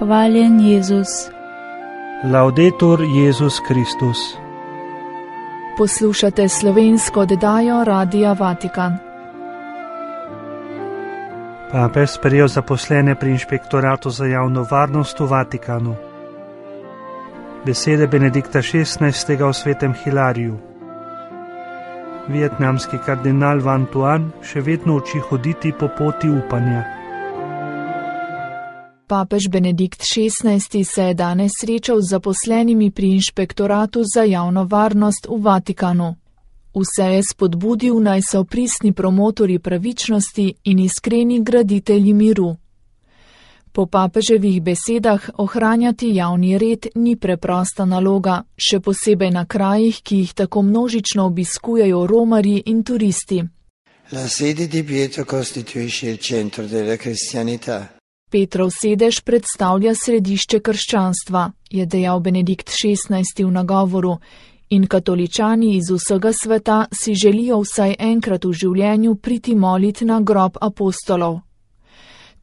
Hvaljen Jezus. Laudetur Jezus Kristus. Poslušate slovensko oddajo Radia Vatikan. Papež sprejel zaposlene pri inšpektoratu za javno varnost v Vatikanu. Besede Benedikta XVI. O svetem Hilariju. Vietnamski kardinal Van Tuan še vedno uči hoditi po poti upanja. Papež Benedikt XVI. Se je danes srečal z zaposlenimi pri inšpektoratu za javno varnost v Vatikanu. Vse je spodbudil, naj so pristni promotorji pravičnosti in iskreni graditelji miru. Po papeževih besedah ohranjati javni red ni preprosta naloga, še posebej na krajih, ki jih tako množično obiskujejo romarji in turisti. La sede di Pietro costituisce il centro della cristianità. Petrov sedež predstavlja središče krščanstva, je dejal Benedikt XVI. V nagovoru, in katoličani iz vsega sveta si želijo vsaj enkrat v življenju priti molit na grob apostolov.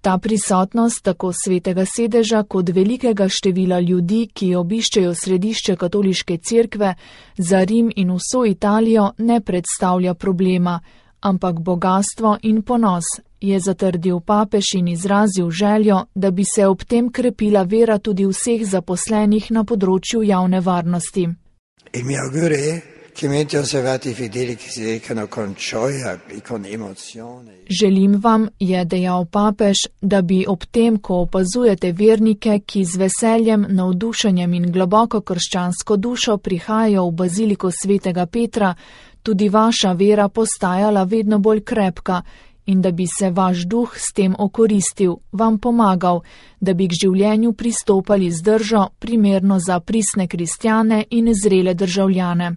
Ta prisotnost tako svetega sedeža kot velikega števila ljudi, ki obiščejo središče katoliške cerkve, za Rim in vso Italijo ne predstavlja problema, ampak bogastvo in ponos, je zatrdil papež in izrazil željo, da bi se ob tem krepila vera tudi vseh zaposlenih na področju javne varnosti. Il mio augurio è che mentre osservate i fedeli che si recano con gioia e con emozione. Želim vam, je dejal papež, da bi ob tem, ko opazujete vernike, ki z veseljem, navdušenjem in globoko krščansko dušo prihajajo v baziliko svetega Petra, tudi vaša vera postajala vedno bolj krepka in da bi se vaš duh s tem okoristil, vam pomagal, da bi k življenju pristopali z držo, primerno za pristne kristjane in zrele državljane.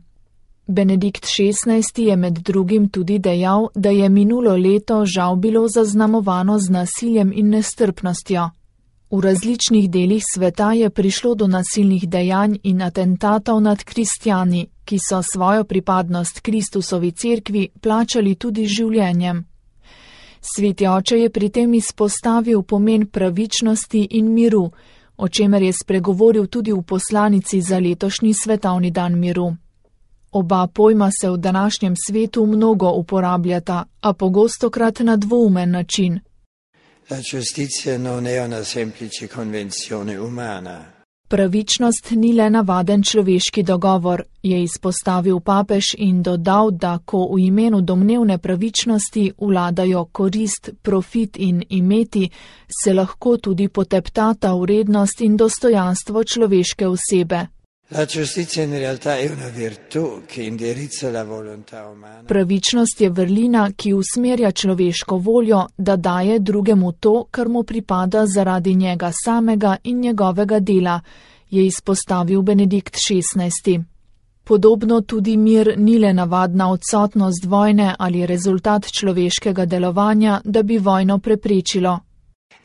Benedikt XVI. Je med drugim tudi dejal, da je minulo leto žal bilo zaznamovano z nasiljem in nestrpnostjo. V različnih delih sveta je prišlo do nasilnih dejanj in atentatov nad kristjani, ki so svojo pripadnost Kristusovi cerkvi plačali tudi življenjem. Sveti oče je pri tem izpostavil pomen pravičnosti in miru, o čemer je spregovoril tudi v poslanici za letošnji svetovni dan miru. Oba pojma se v današnjem svetu mnogo uporabljata, a pogostokrat na dvoumen način. La giustizia non è una semplice convenzione umana. Pravičnost ni le navaden človeški dogovor, je izpostavil papež in dodal, da ko v imenu domnevne pravičnosti vladajo korist, profit in imeti, se lahko tudi poteptata vrednost in dostojanstvo človeške osebe. La giustizia in realtà è una virtù che indirizza la volontà umana. Pravičnost je vrlina, ki usmerja človeško voljo, da daje drugemu to, kar mu pripada zaradi njega samega in njegovega dela, je izpostavil Benedikt XVI. Podobno tudi mir ni le navadna odsotnost vojne ali rezultat človeškega delovanja, da bi vojno preprečilo.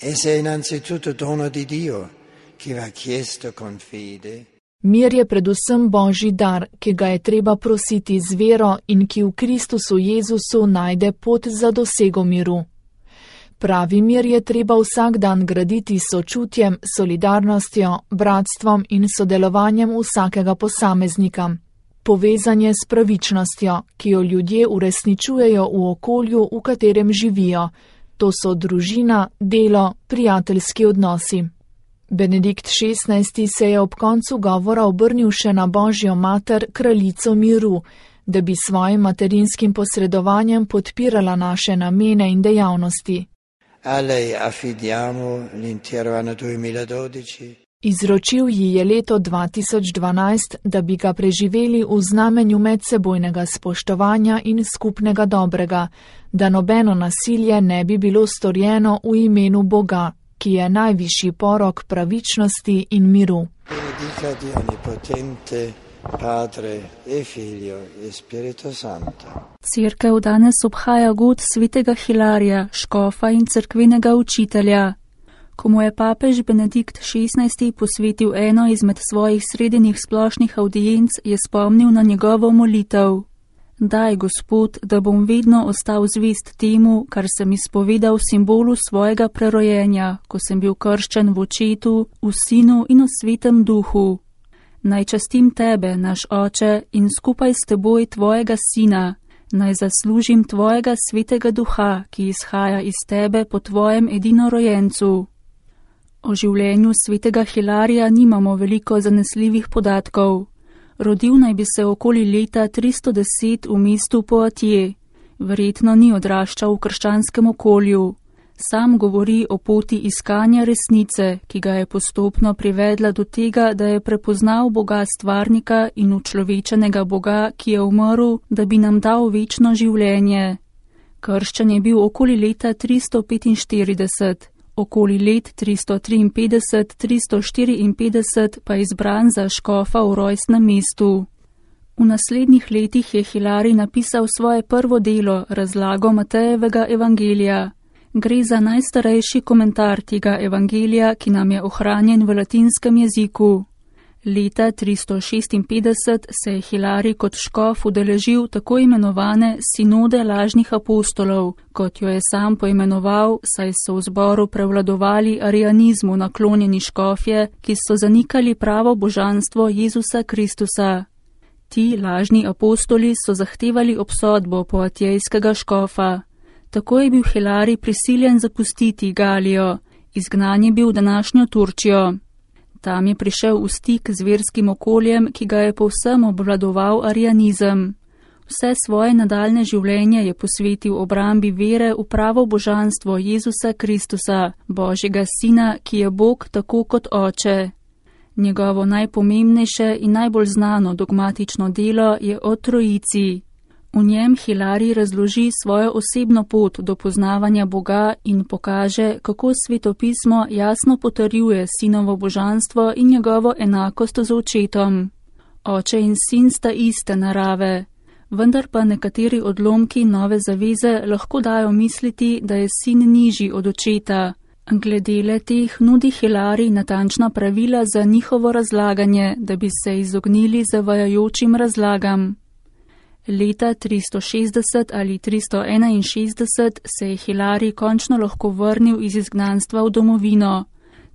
Essa è innanzitutto dono di Dio, che va chiesto con fede. Mir je predvsem Božji dar, ki ga je treba prositi z vero in ki v Kristusu Jezusu najde pot za dosego miru. Pravi mir je treba vsak dan graditi s sočutjem, solidarnostjo, bratstvom in sodelovanjem vsakega posameznika. Povezanje s pravičnostjo, ki jo ljudje uresničujejo v okolju, v katerem živijo. To so družina, delo, prijateljski odnosi. Benedikt XVI. Se je ob koncu govora obrnil še na Božjo mater, kraljico miru, da bi svojim materinskim posredovanjem podpirala naše namene in dejavnosti. A lei affidiamo l'intero anno 2012. Izročil ji je leto 2012, da bi ga preživeli v znamenju medsebojnega spoštovanja in skupnega dobrega, da nobeno nasilje ne bi bilo storjeno v imenu Boga, ki je najvišji porok pravičnosti in miru. Benedica Dio Onnipotente, Padre e Figlio e Spirito Santo. Cerkev danes obhaja god svetega Hilarija, škofa in cerkvenega učitelja. Ko mu je papež Benedikt XVI. Posvetil eno izmed svojih sredinnih splošnih audienc, je spomnil na njegovo molitev. Daj, Gospod, da bom vedno ostal zvest temu, kar sem izpovedal v simbolu svojega prerojenja, ko sem bil krščen v Očetu, v Sinu in v Svetem Duhu. Naj častim Tebe, naš Oče, in skupaj s Teboj Tvojega Sina, naj zaslužim Tvojega Svetega Duha, ki izhaja iz Tebe po Tvojem edinorojencu. O življenju svetega Hilarija nimamo veliko zanesljivih podatkov. Rodil naj bi se okoli leta 310 v mestu Poitiers. Verjetno ni odraščal v krščanskem okolju. Sam govori o poti iskanja resnice, ki ga je postopno privedla do tega, da je prepoznal Boga stvarnika in učlovečenega Boga, ki je umrl, da bi nam dal večno življenje. Krščan je bil okoli leta 345. Okoli let 353-354 pa izbran za škofa v rojstnem mestu. V naslednjih letih je Hilarij napisal svoje prvo delo, razlago Matejevega evangelija. Gre za najstarejši komentar tega evangelija, ki nam je ohranjen v latinskem jeziku. Leta 356 se je Hilarij kot škof udeležil tako imenovane sinode lažnih apostolov, kot jo je sam poimenoval, saj so v zboru prevladovali arianizmu naklonjeni škofje, ki so zanikali pravo božanstvo Jezusa Kristusa. Ti lažni apostoli so zahtevali obsodbo poatijskega škofa. Tako je bil Hilarij prisiljen zapustiti Galijo, izgnan je bil v današnjo Turčijo. Tam je prišel v stik z verskim okoljem, ki ga je povsem obvladoval arianizem. Vse svoje nadaljne življenje je posvetil obrambi vere v pravo božanstvo Jezusa Kristusa, Božjega Sina, ki je Bog tako kot Oče. Njegovo najpomembnejše in najbolj znano dogmatično delo je o Trojici. V njem Hilarij razloži svojo osebno pot do poznavanja Boga in pokaže, kako svetopismo jasno potrjuje sinovo božanstvo in njegovo enakost z Očetom. Oče in sin sta iste narave, vendar pa nekateri odlomki nove zaveze lahko dajo misliti, da je sin nižji od Očeta. Glede le teh nudi Hilarij natančna pravila za njihovo razlaganje, da bi se izognili zavajajočim razlagam. Leta 360 ali 361 se je Hilarij končno lahko vrnil iz izgnanstva v domovino.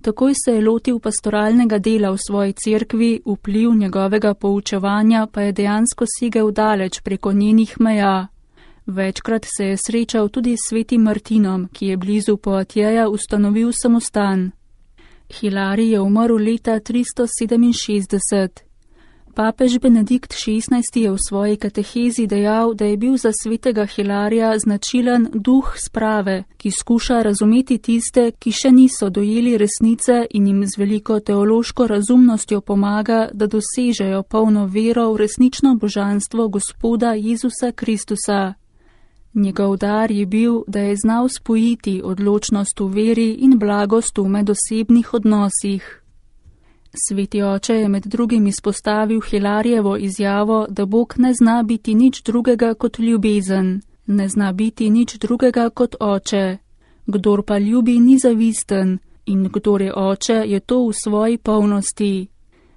Takoj se je lotil pastoralnega dela v svoji cerkvi, vpliv njegovega poučevanja pa je dejansko segel daleč preko njenih meja. Večkrat se je srečal tudi s svetim Martinom, ki je blizu Poitiers ustanovil samostan. Hilarij je umrl leta 367. Papež Benedikt XVI je v svoji katehezi dejal, da je bil za svetega Hilarija značilen duh sprave, ki skuša razumeti tiste, ki še niso dojeli resnice in jim z veliko teološko razumnostjo pomaga, da dosežejo polno vero v resnično božanstvo Gospoda Jezusa Kristusa. Njegov dar je bil, da je znal spojiti odločnost v veri in blagost v medosebnih odnosih. Sveti oče je med drugim izpostavil Hilarijevo izjavo, da Bog ne zna biti nič drugega kot ljubezen, ne zna biti nič drugega kot oče. Kdor pa ljubi, ni zavisten, in kdor je oče, je to v svoji polnosti.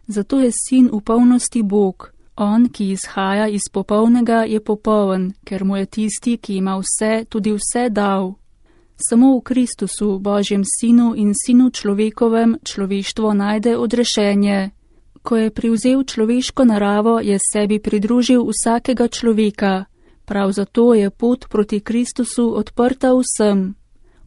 Zato je sin v polnosti Bog. On, ki izhaja iz popolnega, je popoln, ker mu je tisti, ki ima vse, tudi vse dal. Samo v Kristusu, Božjem Sinu in Sinu človekovem, človeštvo najde odrešenje. Ko je privzel človeško naravo, je sebi pridružil vsakega človeka. Prav zato je pot proti Kristusu odprta vsem.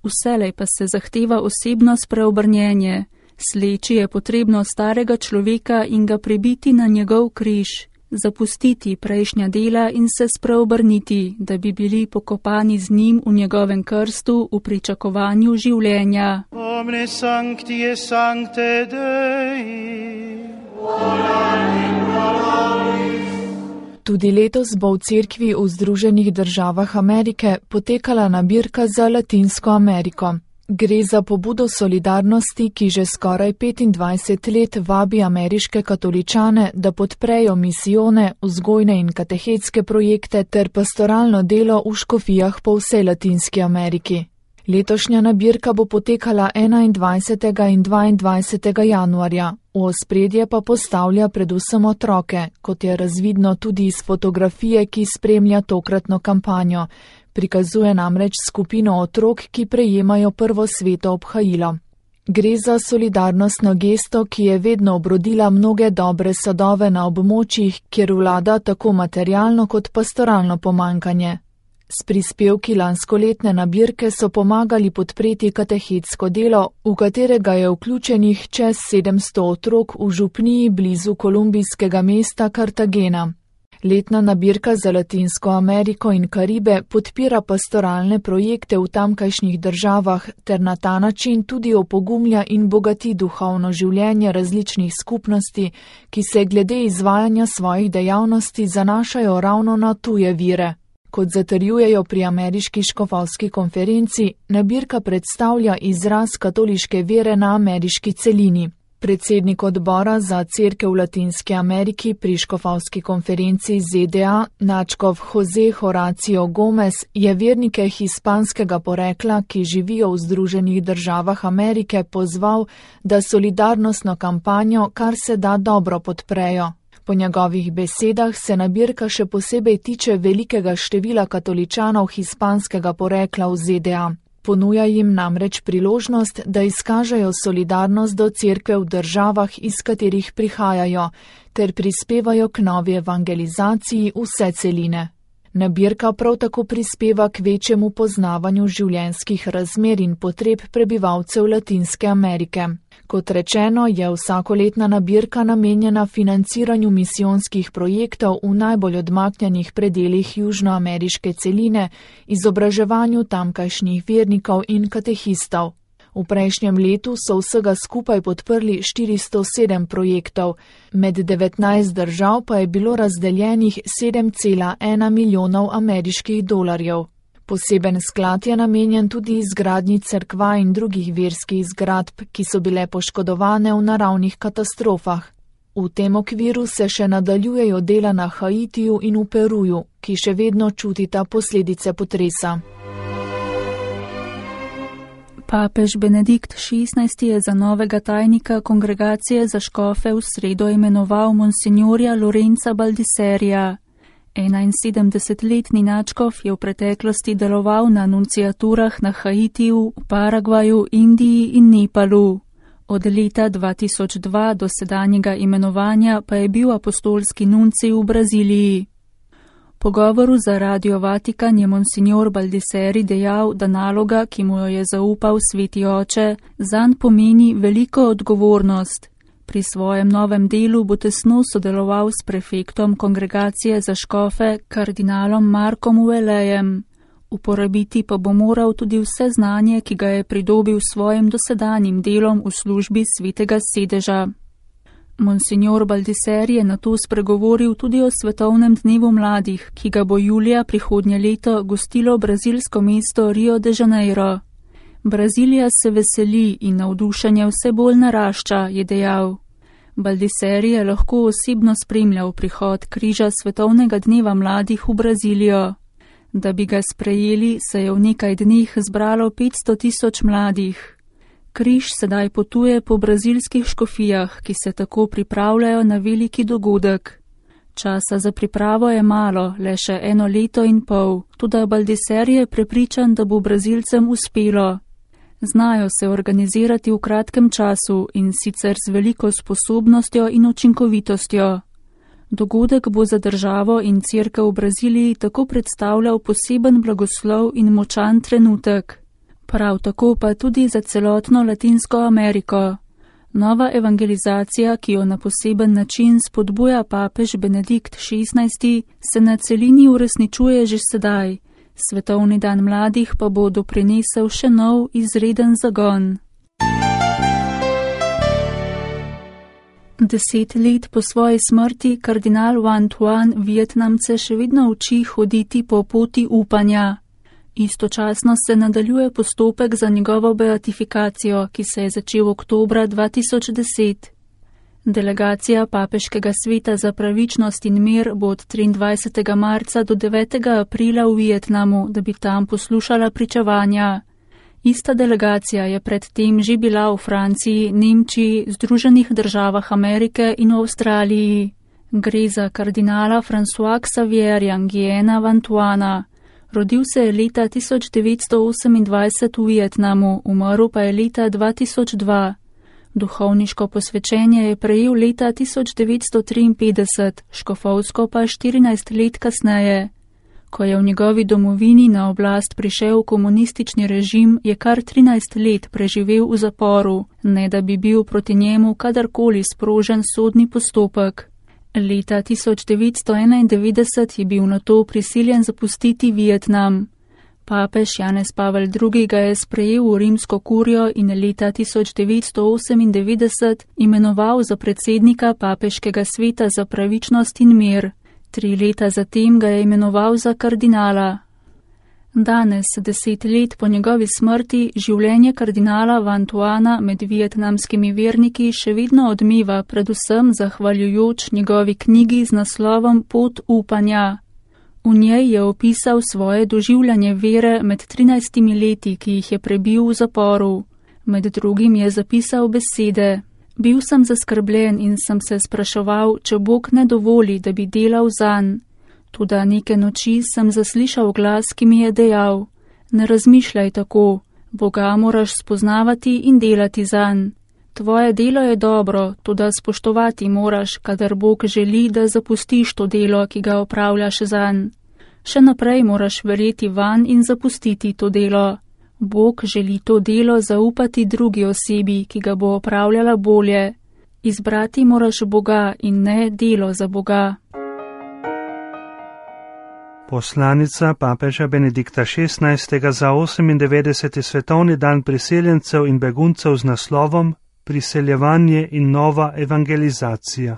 Vselej pa se zahteva osebno spreobrnjenje. Sleči je potrebno starega človeka in ga pribiti na njegov križ. Zapustiti prejšnja dela in se spreobrniti, da bi bili pokopani z njim v njegovem krstu v pričakovanju življenja. Omne sancti et sancte Dei. Tudi letos bo v cerkvi v Združenih državah Amerike potekala nabirka za Latinsko Ameriko. Gre za pobudo solidarnosti, ki že skoraj 25 let vabi ameriške katoličane, da podprejo misijone, vzgojne in katehetske projekte ter pastoralno delo v škofijah po vsej Latinski Ameriki. Letošnja nabirka bo potekala 21. in 22. januarja. V ospredje pa postavlja predvsem otroke, kot je razvidno tudi iz fotografije, ki spremlja tokratno kampanjo. Prikazuje namreč skupino otrok, ki prejemajo prvo sveto obhajilo. Gre za solidarnostno gesto, ki je vedno obrodila mnoge dobre sadove na območjih, kjer vlada tako materialno kot pastoralno pomanjkanje. S prispevki lanskoletne nabirke so pomagali podpreti katehetsko delo, v katerega je vključenih čez 700 otrok v župniji blizu kolumbijskega mesta Cartagena. Letna nabirka za Latinsko Ameriko in Karibe podpira pastoralne projekte v tamkajšnjih državah ter na ta način tudi opogumlja in bogati duhovno življenje različnih skupnosti, ki se glede izvajanja svojih dejavnosti zanašajo ravno na tuje vire. Kot zatrjujejo pri ameriški škofovski konferenci, nabirka predstavlja izraz katoliške vere na ameriški celini. Predsednik odbora za cerkev v Latinski Ameriki pri škofovski konferenci ZDA, nadškof Jose Horacio Gomez, je vernike hispanskega porekla, ki živijo v Združenih državah Amerike, pozval, da solidarnostno kampanjo kar se da dobro podprejo. Po njegovih besedah se nabirka še posebej tiče velikega števila katoličanov hispanskega porekla v ZDA. Ponuja jim namreč priložnost, da izkažejo solidarnost do cerkve v državah, iz katerih prihajajo, ter prispevajo k novi evangelizaciji vse celine. Nabirka prav tako prispeva k večjemu poznavanju življenjskih razmer in potreb prebivalcev Latinske Amerike. Kot rečeno, je vsakoletna nabirka namenjena financiranju misijonskih projektov v najbolj odmaknjenih predelih južnoameriške celine, izobraževanju tamkajšnjih vernikov in katehistov. V prejšnjem letu so vsega skupaj podprli 407 projektov, med 19 držav pa je bilo razdeljenih 7,1 milijonov ameriških dolarjev. Poseben sklad je namenjen tudi izgradnji cerkva in drugih verskih zgradb, ki so bile poškodovane v naravnih katastrofah. V tem okviru se še nadaljujejo dela na Haitiju in v Peruju, ki še vedno čutita posledice potresa. Papež Benedikt XVI je za novega tajnika kongregacije za škofe v sredo imenoval monsignorja Lorenza Baldiserija. 71-letni nadškof je v preteklosti deloval na nunciaturah na Haitiju, Paragvaju, Indiji in Nepalu. Od leta 2002 do sedanjega imenovanja pa je bil apostolski nuncij v Braziliji. Po govoru za Radio Vatikan je monsignor Baldiseri dejal, da naloga, ki mu jo je zaupal Sveti Oče, zanj pomeni veliko odgovornost. Pri svojem novem delu bo tesno sodeloval s prefektom kongregacije za škofe, kardinalom Markom Uelejem. Uporabiti pa bo moral tudi vse znanje, ki ga je pridobil s svojim dosedanjim delom v službi Svetega sedeža. Monsignor Baldiseri je nato spregovoril tudi o svetovnem dnevu mladih, ki ga bo julija prihodnje leto gostilo brazilsko mesto Rio de Janeiro. Brazilija se veseli in navdušenje vse bolj narašča, je dejal. Baldiseri je lahko osebno spremljal prihod križa svetovnega dneva mladih v Brazilijo. Da bi ga sprejeli, se je v nekaj dneh zbralo 500.000 mladih. Križ sedaj potuje po brazilskih škofijah, ki se tako pripravljajo na veliki dogodek. Časa za pripravo je malo, le še 1 leto in pol, tudi Baldiseri je prepričan, da bo Brazilcem uspelo. Znajo se organizirati v kratkem času in sicer z veliko sposobnostjo in učinkovitostjo. Dogodek bo za državo in cerkev v Braziliji tako predstavljal poseben blagoslov in močan trenutek. Prav tako pa tudi za celotno Latinsko Ameriko. Nova evangelizacija, ki jo na poseben način spodbuja papež Benedikt XVI, se na celini uresničuje že sedaj. Svetovni dan mladih pa bo doprinesel še nov izreden zagon. 10 let po svoji smrti kardinal Van Thuan Vietnamce še vedno uči hoditi po poti upanja. Istočasno se nadaljuje postopek za njegovo beatifikacijo, ki se je začel oktobra 2010. Delegacija Papeškega sveta za pravičnost in mir bo od 23. marca do 9. aprila v Vietnamu, da bi tam poslušala pričevanja. Ista delegacija je predtem že bila v Franciji, Nemčiji, Združenih državah Amerike in v Avstraliji. Gre za kardinala François Xavierja Nguiena Vantuana. Rodil se je leta 1928 v Vietnamu, umrl pa je leta 2002. Duhovniško posvečenje je prejel leta 1953, škofovsko pa 14 let kasneje. Ko je v njegovi domovini na oblast prišel komunistični režim, je kar 13 let preživel v zaporu, ne da bi bil proti njemu kadarkoli sprožen sodni postopek. Leta 1991 je bil nato prisiljen zapustiti Vietnam. Papež Janez Pavel II. Ga je sprejel v rimsko kurijo in leta 1998 imenoval za predsednika papeškega sveta za pravičnost in mir. 3 leta zatem ga je imenoval za kardinala. Danes, 10 let po njegovi smrti, življenje kardinala Vantuana med vietnamskimi verniki še vedno odmeva, predvsem zahvaljujoč njegovi knjigi z naslovom Pot upanja. V njej je opisal svoje doživljanje vere med 13 leti, ki jih je prebil v zaporu. Med drugim je zapisal besede: Bil sem zaskrbljen in sem se spraševal, če Bog ne dovoli, da bi delal zanj. Toda neke noči sem zaslišal glas, ki mi je dejal: Ne razmišljaj tako, Boga moraš spoznavati in delati zanj. Tvoje delo je dobro, toda spoštovati moraš, kadar Bog želi, da zapustiš to delo, ki ga opravljaš zanj. Še naprej moraš verjeti vanj in zapustiti to delo. Bog želi to delo zaupati drugi osebi, ki ga bo opravljala bolje. Izbrati moraš Boga in ne delo za Boga. Poslanica papeža Benedikta XVI. Za 98. svetovni dan priseljencev in beguncev z naslovom Priseljevanje in nova evangelizacija.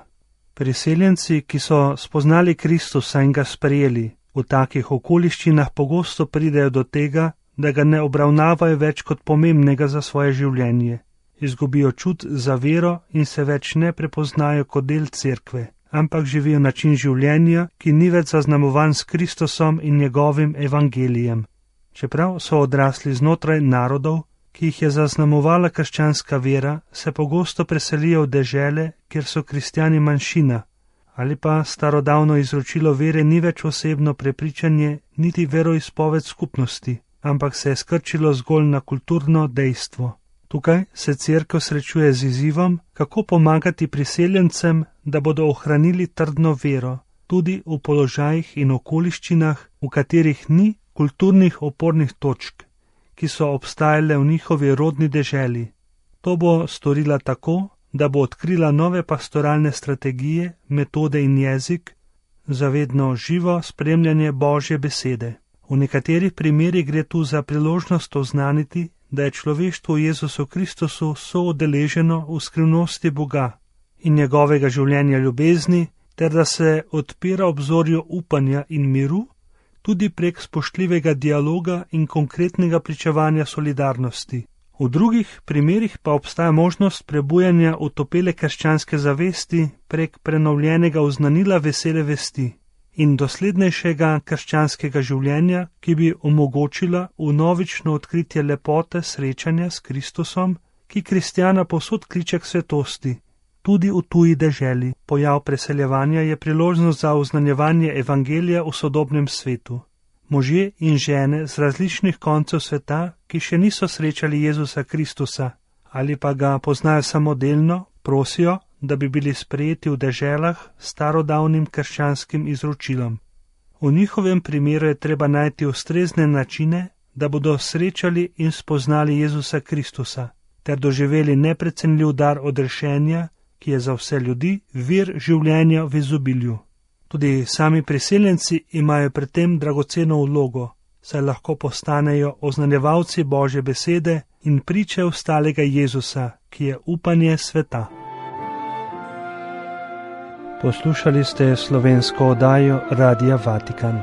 Priseljenci, ki so spoznali Kristusa in ga sprejeli, v takih okoliščinah pogosto pridejo do tega, da ga ne obravnavajo več kot pomembnega za svoje življenje. Izgubijo čut za vero in se več ne prepoznajo kot del cerkve, ampak živijo način življenja, ki ni več zaznamovan s Kristusom in njegovim evangelijem. Čeprav so odrasli znotraj narodov, ki jih je zaznamovala krščanska vera, se pogosto preselijo v dežele, kjer so kristjani manjšina, ali pa starodavno izročilo vere ni več osebno prepričanje niti veroizpoved skupnosti, ampak se je skrčilo zgolj na kulturno dejstvo. Tukaj se cerkev srečuje z izzivom, kako pomagati priseljencem, da bodo ohranili trdno vero, tudi v položajih in okoliščinah, v katerih ni kulturnih opornih točk, ki so obstajale v njihovi rodni deželi. To bo storila tako, da bo odkrila nove pastoralne strategije, metode in jezik, zavedno živo spremljanje Božje besede. V nekaterih primerih gre tu za priložnost oznaniti, da je človeštvo v Jezusu Kristusu soudeleženo v skrivnosti Boga in njegovega življenja ljubezni, ter da se odpira obzorju upanja in miru, tudi prek spoštljivega dialoga in konkretnega pričevanja solidarnosti. V drugih primerih pa obstaja možnost prebujanja utopele krščanske zavesti prek prenovljenega oznanila vesele vesti in doslednejšega krščanskega življenja, ki bi omogočila vnovično odkritje lepote srečanja s Kristusom, ki kristjana povsod kliče k svetosti, tudi v tuji deželi. Pojav preseljevanja je priložnost za oznanjevanje evangelija v sodobnem svetu. Možje in žene z različnih koncev sveta, ki še niso srečali Jezusa Kristusa ali pa ga poznajo samodelno, prosijo, da bi bili sprejeti v deželah s starodavnim krščanskim izročilom. V njihovem primeru je treba najti ustrezne načine, da bodo srečali in spoznali Jezusa Kristusa, ter doživeli neprecenljiv dar odrešenja, ki je za vse ljudi vir življenja v izobilju. Tudi sami priseljenci imajo pri tem dragoceno vlogo, saj lahko postanejo oznanjevalci Božje besede in priče ostalega Jezusa, ki je upanje sveta. Poslušali ste slovensko oddajo Radia Vatikan.